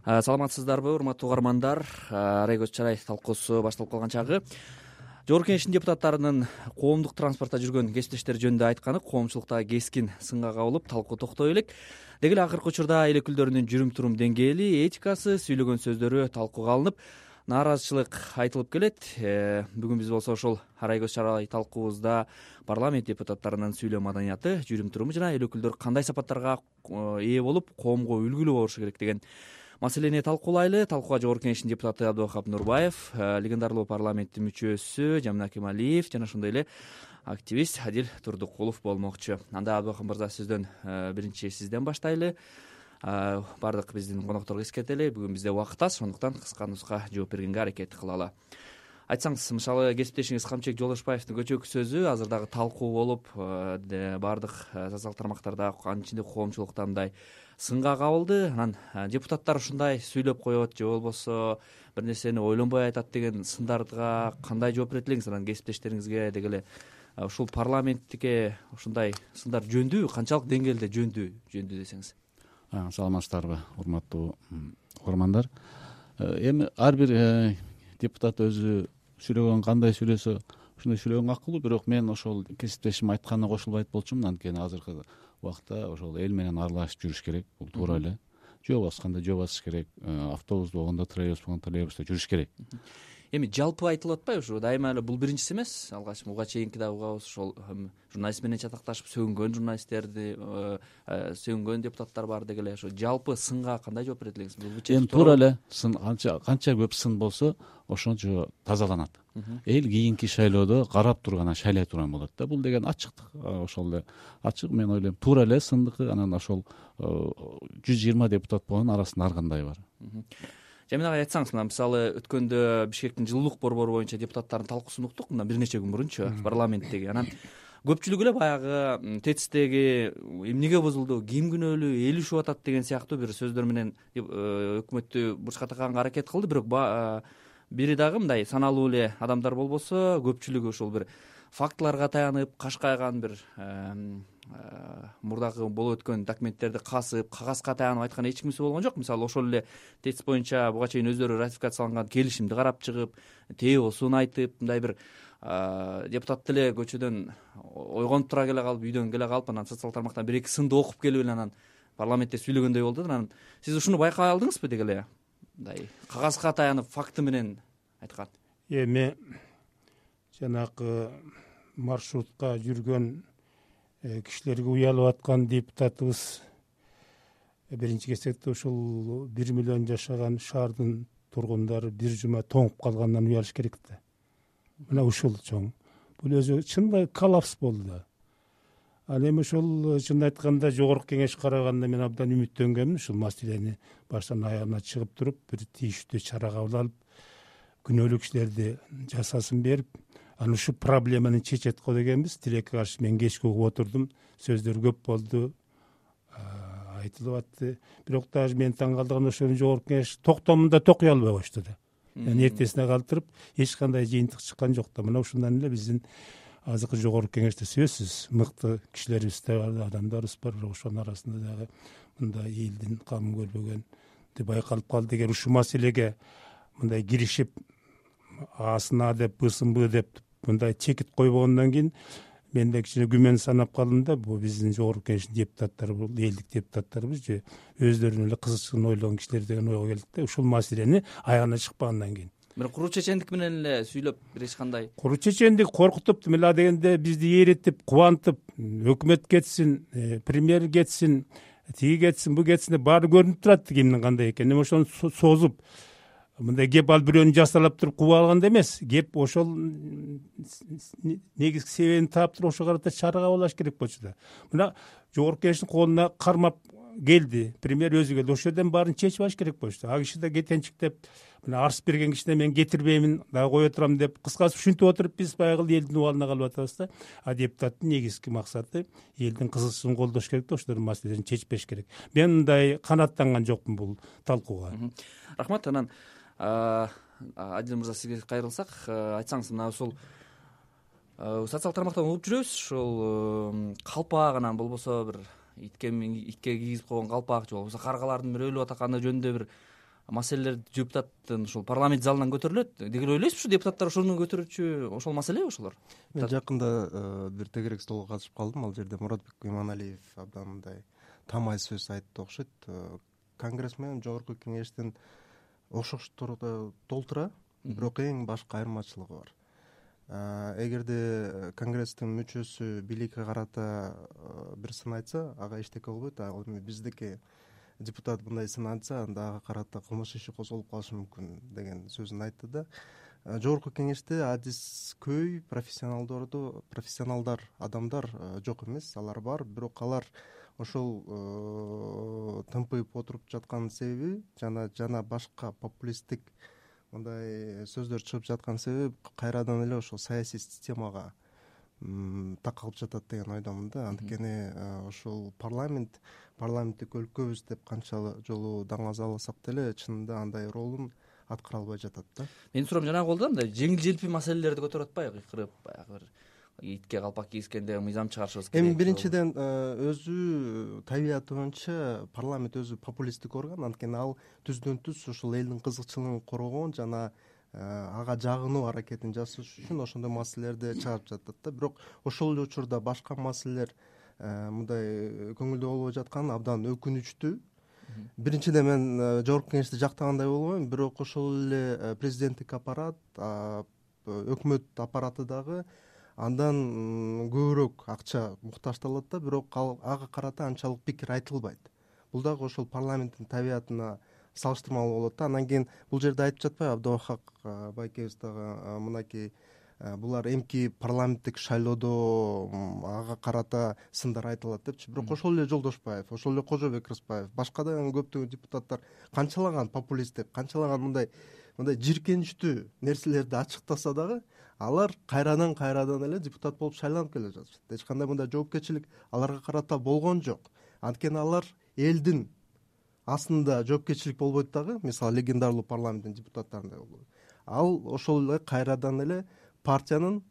Саламатсыздарбы, урматтуу угармандар? Арай көз чарай талкуусу башталып калган чагы. Жогорку Кеңештин депутаттарынын коомдук транспортто жүргөн кесиптештери жөнүндө айтканы коомчулукта кескин сынга кабылып, талкуу токтой элек. Деги эле акыркы учурда эл өкүлдөрүнүн жүрүм-турум деңгээли, этикасы, сүйлөгөн сөздөрү талкууга алынып, нааразычылык айтылып келет. Бүгүн биз болсо ошол Арай көз чарай талкуубузда парламент депутаттарынын сүйлөө маданияты, жүрүм-туруму жана эл өкүлдөрү кандай сапаттарга ээ болуп, коомго үлгүлүү болушу керек деген маселени талкуулайлы. Талкууга Жогорку Кеңештин депутаты Абдывахап Нурбаев, легендарлуу парламенттин мүчөсү Жамин Акималиев жана ошондой эле активист Адил Турдукулов болмокчу. Анда Абдывахап мырза, сөздөн биринчи сизден баштайлы. Баардык биздин конокторго эскертели, бүгүн бизде убакыт аз, ошондуктан кыска-нуска жооп бергенге аракет кылалы. Айтсаңыз, мисалы кесиптешиңиз Камчыбек Жолдошбаевдин көчөкү сөзү азыр дагы талкуу болуп, баардык социалдык тармактарда, анын ичинде коомчулукта мындай сынга кабылды. Анан депутаттар ушундай сүйлөп коет же болбосо бир нерсени ойлонбой айтат деген сындарга кандай жооп берет элеңиз? Анан кесиптештериңизге деги эле ушул парламенттикке ушундай сындар жөндүү, канчалык деңгээлде жөндүү десеңиз? Саламатсыздарбы, урматтуу угармандар? Эми ар бир депутат өзү сүйлөгөн кандай сүйлөсө ошондой сүйлөгөнгө акылуу, бирок мен ошол кесиптешим айтканына кошулбайт болчумун. Анткени азыркы убакта ошол эл менен аралашып жүрүш керек, бул туура эле. Жөө басканда жөө басыш керек, автобус болгондо, троллейбус болгондо троллейбуста жүрүш керек. Эми жалпы айтылып атпайбы ушу? Дайыма эле бул биринчиси эмес. Алгач буга чейинки да угабыз, ошол журналист менен чатакташып сөгүнгөн журналисттерди, сөгүнгөн депутаттар бар деги эле. Ошо жалпы сынга кандай жооп берет элеңиз? Эми туура эле сын канча көп сын болсо ошончо тазаланат. Эл кийинки шайлоодо карап турган, шайлай турган болот да. Бул деген ачыктык, ошол эле ачык. Мен ойлойм туура эле сындыкы. Анан ошол 120 депутат болгондун арасында ар кандай бар. Жамин агай, айтсаңыз, мына мисалы өткөндө Бишкектин жылуулук борбору боюнча депутаттардын талкуусун уктук, мындан бир нече күн мурунчу парламенттеги. Анан көпчүлүгү эле баягы ТЭЦтеги эмнеге бузулду, ким күнөөлүү, эл ушуп атат деген сыяктуу бир сөздөр менен өкмөттү бурчка такаганга аракет кылды. Бирок бири дагы мындай саналуу эле адамдар болбосо, көпчүлүгү ушул бир фактыларга таянып, кашкайган бир мурдагы болуп өткөн документтерди касып, кагазга таянып айткан эч кимиси болгон жок. Мисалы ошол эле ТЭЦ боюнча буга чейин өздөрү ратификацияланган келишимди карап чыгып, ТЭОсун айтып, мындай бир депутат деле көчөдөн ойгонуп тура келе калып, үйдөн келе калып, анан социалдык тармактан бир эки сынды окуп келип эле анан парламентте сүйлөгөндөй болду. Анан сиз ушуну байкай алдыңызбы деги эле? Мындай кагазга таянып, факты менен айткан. Эми жанагы маршрутка жүргөн кишилерге уялып аткан депутатыбыз биринчи кезекте ушул 1 миллион жашаган шаардын тургундары бир жума тоңуп калгандан уялыш керек да. Мына ушул чоң. Бул өзү чындай коллапс болду. Ал эми ошол чын айтканда Жогорку Кеңеш караганда мен абдан үмүттөнгөнмүн. Ушул маселени баштан аягына чыгып туруп, бир тийиштүү чара кабыл алып, күнөөлүү кишилерди жазасын берип, анан ушу проблеманы чечет го дегенбиз. Тилекке каршы мен кечке угуп отурдум. Сөздөр көп болду, айтылып атты. Бирок дагы мен таң калдырган ошол Жогорку Кеңеш токтомунда токуй албай коюшту да. Эртесине калтырып, эч кандай жыйынтык чыккан жок да. Мына ушундан эле биздин азыркы Жогорку Кеңеште сөзсүз мыкты кишилерибиз да бар, адамдарыбыз бар. Бирок ошонун арасында дагы мындай элдин камын көрбөгөн байкалып калды. Эгер ушул маселеге мындай киришип, асын А деп, Бсын Б деп мындай чекит койбогондон кийин менде кичине күмөн санап калдым да. Бул биздин Жогорку Кеңештин депутаттары, бул элдик депутаттарыбыз же өздөрүнүн эле кызыкчылыгын ойлогон кишилер деген ойго келдик да. Ушул маселени аягына чыкпагандан кийин. Бирок куру чечендик менен эле сүйлөп эч кандай. Куру чечендик коркутуп, мила дегенде бизди ээреттип, кубантып, өкмөт кетсин, премьер кетсин, тиги кетсин, бу кетсин деп баары көрүнүп турат кимдин кандай экени. Эми ошону созуп, мындай кеп ал бирөөнү жасалап туруп кууп алганда эмес, кеп ошол негизги себебин таап туруп ошого карата чара кабыл алыш керек болчу да. Мына Жогорку Кеңештин колуна кармап келди, премьер өзү келди. Ошол жерден баарын чечип алыш керек болчу. А киши да кетенчиктеп, мына арыз берген кишине мен кетирбеймин, дагы кое турам деп, кыскасы ушинтип отуруп биз баягы элдин убалына калып атабыз да. А депутаттын негизги максаты элдин кызыкчылыгын колдош керек да, ошолордун маселелерин чечпеш керек. Мен мындай канааттанган жокмун бул талкууга. Рахмат. Анан Адил мырза, сизге кайрылсак, айтсаңыз, мына ушул социалдык тармактан угуп жүрөбүз, ушул калпак, анан болбосо бир итке кийгизип койгон калпак же болбосо каргалардын бир өлүп атаканы жөнүндө бир маселелер депутаттын ушул парламент залынан көтөрүлөт деги эле ойлойсузбу? Ушу депутаттар ошону көтөрүүчү ошол маселеби ошолор? Мен жакында бир тегерек столго катышып калдым. Ал жерде Муратбек Иманалиев абдан мындай тамай сөз айтты окшойт. Конгресс менен жогорку кеңештин окшоштугу толтура, бирок эң башкы айырмачылыгы бар. Эгерде Конгресстин мүчөсү бийликке карата бир сын айтса, ага эчтеке болбойт. Ал эми биздики депутат мындай сын айтса, анда ага карата кылмыш иши козголуп калышы мүмкүн деген сөзүн айтты да. Жогорку кеңеште адис көй профессионалдар, адамдар жок эмес, алар бар, бирок алар ошол тымпыйып отуруп жаткан себеби жана башка популисттик мындай сөздөр чыгып жаткан себеби кайрадан эле ошол саясий системага такалып жатат деген ойдомун да. Анткени ошол парламенттик өлкөбүз деп канча жолу даңазаласак деле чынында андай ролун аткара албай жатат да. Менин суроом жанагы болду да, мындай жеңил желпи маселелерди көтөрүп атпайбы, кыйкырып баягы бир итке калпак кийгизгенде мыйзам чыгарышыбыз керек. Эми биринчиден өзү табияты боюнча парламент өзү популисттик орган, анткени ал түздөн түз ушул элдин кызыкчылыгын коргоон жана ага жагынуу аракетин жасаш үчүн ошондой маселелерди чыгарып жатат да. Бирок ошол эле учурда башка маселелер мындай көңүлдө болбой жатканы абдан өкүнүчтүү. Биринчиден мен жогорку кеңешти жактагандай болбойм, бирок ошол эле президенттик аппарат, өкмөт аппараты дагы андан көбүрөөк акча муктаждалат да, бирок ага карата анчалык пикир айтылбайт. Бул дагы ошол парламенттин табиятына салыштырмалуу болот да. Андан кийин бул жерде айтып жатпайбы Абдубахак байкебиз дагы мынакей булар эмки парламенттик шайлоодо ага карата сындар айтылат депчи. Бирок ошол эле Жолдошбаев, ошол эле Кожобек Рыспаев, башка да көптөгөн депутаттар канчалаган популисттик, канчалаган мындай жиркеничтүү нерселерди ачыктаса дагы алар кайрадан эле депутат болуп шайланып келе жатышат. Эч кандай мындай жоопкерчилик аларга карата болгон жок. Анткени алар элдин астында жоопкерчилик болбойт дагы, мисалы легендарлуу парламенттин депутаттарындай болбойт. Ал ошол эле кайрадан эле партиянын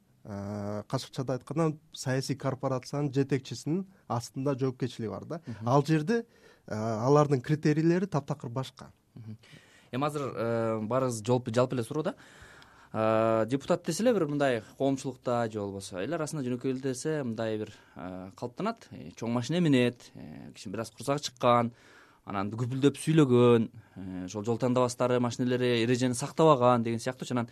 кашыкчада айтканда саясий корпорациянын жетекчисинин астында жоопкерчилиги бар да. Ал жерде алардын критерийлери таптакыр башка. Эми азыр баарыбыз жалпы эле суроо да. Депутат десе эле бир мындай коомчулукта же болбосо эл арасында жөнөкөй эле десе мындай бир калыптанат. Чоң машина минет, киши бир аз курсагы чыккан, анан күпүлдөп сүйлөгөн, ошол жол тандабастары, машинелери эрежени сактабаган деген сыяктуучу. Анан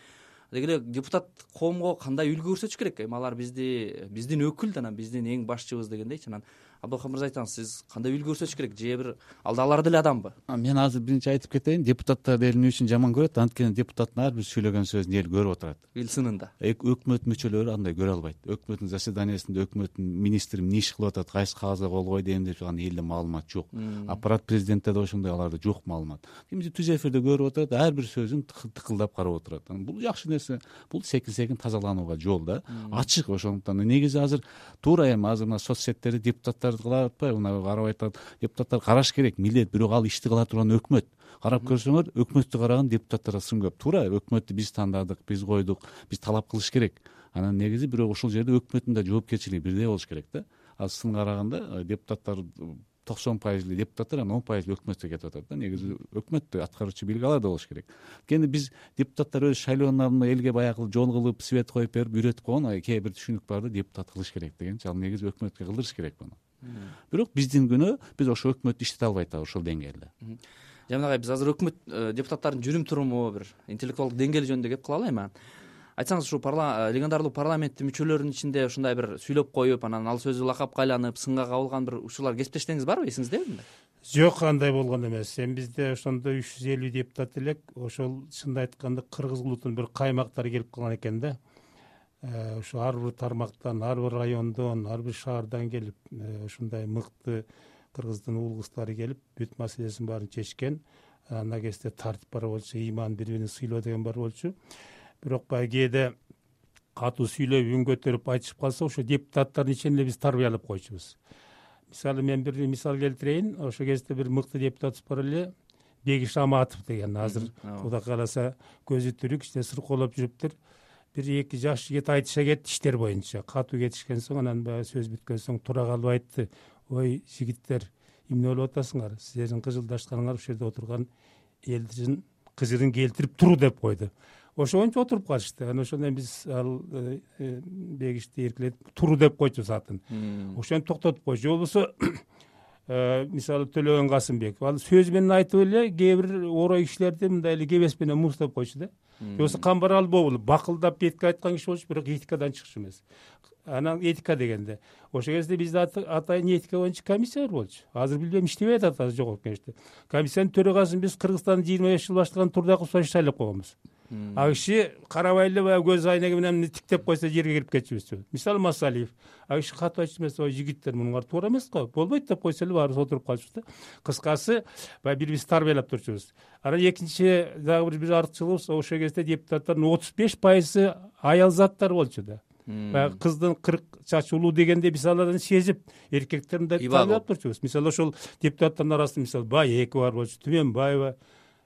деги эле депутат коомго кандай үлгү көрсөтүш керек? Эми алар биздин өкүл, анан биздин эң башчыбыз дегендейчи. Анан Абдубахар мырза айтсаңыз, сиз кандай үлгү көрсөтүш керек? Же бир алар деле адамбы? Мен азыр биринчи айтып кетейин, депутаттар эл эмне үчүн жаман көрөт? Анткени депутаттын ар бир сүйлөгөн сөзүн эл көрүп отурат. Эл сынында. Өкмөт мүчөлөрү андай көрө албайт. Өкмөттүн заседаниясында өкмөттүн министри эмне иш кылып атат, кайсы кагазга кол койду деп турган элде маалымат жок. Аппарат президентте да ошондой аларда жок маалымат. Кимди түз эфирде көрүп отурат, ар бир сөзүн тыкылдап карап отурат. Бул жакшы нерсе. Бул секин тазаланууга жол да. Ачык ошондуктан. Негизи азыр туура эми азыр мына соц сеттерди депутаттарды кылып атпайбы? Мына карап айтат, депутаттар караш керек, милдет, бирок ал ишти кыла турган өкмөт. Карап көрсөңөр, өкмөттү караган депутаттарга сын көп. Туура, өкмөттү биз тандадык, биз койдук, биз талап кылыш керек. Анан негизи бирок ушул жерде өкмөттүн да жоопкерчилиги бирдей болуш керек да. Ал сын караганда депутаттар 90% депутаттар, анан 10% өкмөткө кетип атат да. Негизи өкмөттө аткаруучу бийлик аларда болуш керек. Анткени биз депутаттар өз шайлоонун элге баягы жол кылып, свет коюп берип үйрөтүп койгон, кээ бир түшүнүк барды депутат кылыш керек дегенчи. Ал негизи өкмөткө кылдырыш керек муну. Бирок биздин күнөө биз ошо өкмөттү иштете албай атабыз ошол деңгээлде. Жанагы биз азыр өкмөт депутаттардын жүрүм туруму, бир интеллектуалдык деңгээли жөнүндө кеп кылалы эми. Айтсаңыз, ушу легендарлуу парламенттин мүчөлөрүнүн ичинде ушундай бир сүйлөп коюп, анан ал сөзү лакапка айланып, сынга кабылган бир учурлар кесиптештериңиз барбы, эсиңиздеби? Жок, андай болгон эмес. Эми бизде ошондой 350 депутат элек, ошол чынын айтканда кыргыз улутунун бир каймактары келип калган экен да. Ошо ар бир тармактан, ар бир райондон, ар бир шаардан келип, ушундай мыкты кыргыздын уул кыздары келип, бүт маселесин баарын чечкен. Анда кезде тартип бар болчу, ыйман, бири-бирин сыйлоо деген бар болчу. Бирок баягы кээде катуу сүйлөп, үн көтөрүп айтышып калса, ошо депутаттардын ичинде биз тарбиялап койчубуз. Мисалы мен бир мисал келтирейин. Ошо кезде бир мыкты депутатыбыз бар эле, Бегиш Аматов деген. Азыр Кудай кааласа көзү тирүү, кичине сыркоолоп жүрүптүр. Бир-эки жаш жигит айтыша кетти иштер боюнча. Катуу кетишкен соң, анан баягы сөз бүткөн соң тура калып айтты: "Ой, жигиттер, эмне болуп атасыңар? Силердин кыжылдашканыңар ушул жерде отурган элдин кызырын келтирип туру деп койду. Ошоңчо отуруп калышты. Анан ошондон биз ал бегишти эркелетип туру деп койчубуз атын. Ошентип токтотуп койчу. Же болбосо мисалы Төлөгөн Касымбек ал сөз менен айтып эле кээ бир орой кишилерди мындай эле кебес менен муздап койчу да. Же болбосо Камбаралы болуп бакылдап этика айткан киши болчу, бирок этикадан чыкчу эмес. Анан этика дегенде ошол кезде бизде атайын этика боюнча комиссия болчу. Азыр билбейм иштебей атат азыр жогорку кеңеште. Комиссиянын төрагасын биз Кыргызстандын 25 жыл баштаган Турдаков шайлап койгонбуз. Ал киши карабай эле баягы көз айнеги менен тиктеп койсо жерге кирип кетчүбүз. Мисалы Масалиев ал киши катып айтчу эмес, ой жигиттер мунуңар туура эмес го, болбойт деп койсо эле баарыбыз отуруп калчубуз да. Кыскасы баягы бири бирибизди тарбиялап турчубуз. Анан экинчи дагы бир артыкчылыгыбыз ошол кезде депутаттардын 35% аял заттар болчу да. Баягы кыздын 40 чачы улуу дегенде биз алардан сезип эркектерди мындай тарбиялап турчубуз. Мисалы ошол депутаттардын арасында мисалы Баекова болчу, Түмөнбаева,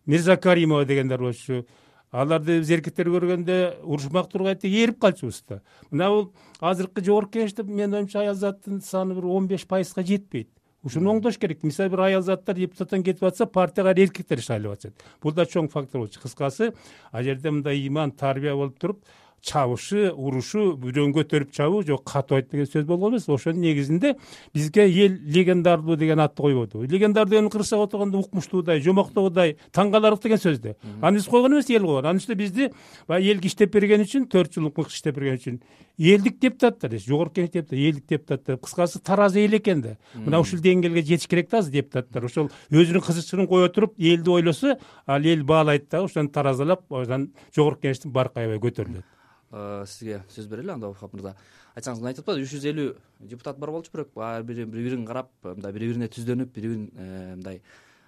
Мирзакаримова дегендер болчу. Аларды биз эркектер көргөндө урушмак тургайт деп ээрип калчубуз да. Мына бул азыркы жогорку кеңеште менин оюмча аял заттын саны бир 15%га жетпейт. Ушуну оңдош керек. Мисалы бир аял заттар депутаттан кетип атса, партияга эркектер шайлап атышат. Бул да чоң фактор болчу. Кыскасы, ал жерде мындай иман, тарбия болуп туруп, чабышы, урушу, бирөөнү көтөрүп чабуу жок катып айт деген сөз болгон эмес. Ошонун негизинде бизге эл легендарлуу деген атты койбоду. Легендар деген кырсак отурганда укмуштуудай, жомоктоогудай, таң каларлык деген сөз да. Аны биз койгон эмес, эл койгон. Анын үстүнө бизди баягы элге иштеп берген үчүн, 4 жыл укмук иштеп берген үчүн элдик депутаттар, жогорку кеңеш депутаттар, элдик депутаттар, кыскасы таразы эл экен да. Мына ушул деңгээлге жетиш керек да азыр депутаттар. Ошол өзүнүн кызыкчылыгын кое туруп, элди ойлосо, ал эл баалайт да, ошону таразалап, ошон жогорку кеңештин баркы аябай көтөрүлөт. Сизге сөз берели анда Вахап мырза. Айтсаңыз, мына айтып атпадыбы 350 депутат бар болчу, бирок бири-бирин карап, мындай бири-бирине түздөнүп, бири-бирин мындай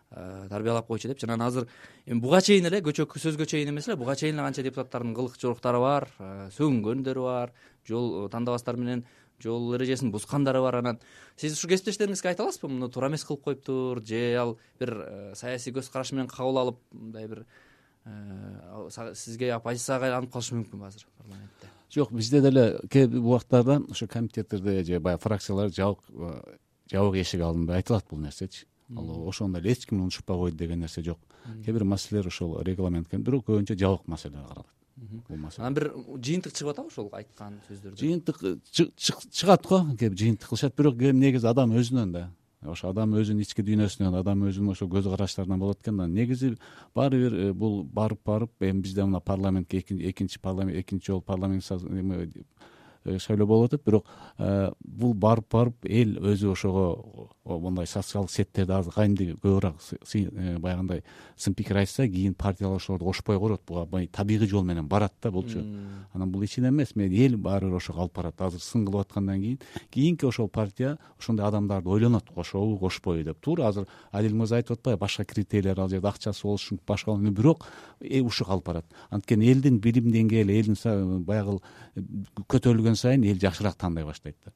тарбиялап койчу деп. Жана азыр эми буга чейин эле сөзгө чейин эмес эле, буга чейин эле канча депутаттардын кылык жоруктары бар, сөгүнгөндөрү бар, жол тандабастар менен жол эрежесин бузгандары бар. Анан сиз ушу кесиптештериңизге айта аласызбы, муну туура эмес кылып коюптур, же ал бир саясий көз караш менен кабыл алып, мындай бир сизге оппозицияга айланып калышы мүмкүнбү азыр парламентте? Жок, бизде деле кээ бир убактарда ошо комитеттерде же баягы фракциялар жабык эшик алдында айтылат бул нерсечи. Ал ошондо эле эч ким унчукпай койду деген нерсе жок. Кээ бир маселелер ошол регламентке, бирок көбүнчө жабык маселелер каралат. Бул маселе. Анан бир жыйынтык чыгып атабы ошол айткан сөздөрдөн? Жыйынтык чыгат го, кээ бир жыйынтык кылышат, бирок негизи адам өзүнөн да. Ошо адам өзүнүн ички дүйнөсүнөн, адам өзүнүн ошо көз караштарынан болот экен да. Негизи баары бир бул барып эми бизде мына парламентке экинчи жолу парламент шайлоо болуп атат, бирок бул барып эл өзү ошого мындай социалдык сеттерди азыр кайымды көбүрөөк баягындай сын пикир айтса, кийин партиялар ошолорду кошпой корот. Буга табигый жол менен барат да булчу. Анан бул ичинен эмес, эл баары бир ошого алып барат. Азыр сын кылып аткандан кийинки ошол партия ошондой адамдарды ойлонот, кошобу кошпойбу деп. Туура азыр Адил мырза айтып атпайбы, башка критерийлер ал жерде акчасы болушу мүмкүн, башка, бирок ушуга алып барат. Анткени элдин билим деңгээли, элдин баягы көтөрүлгөн сайын эл жакшыраак тандай баштайт да.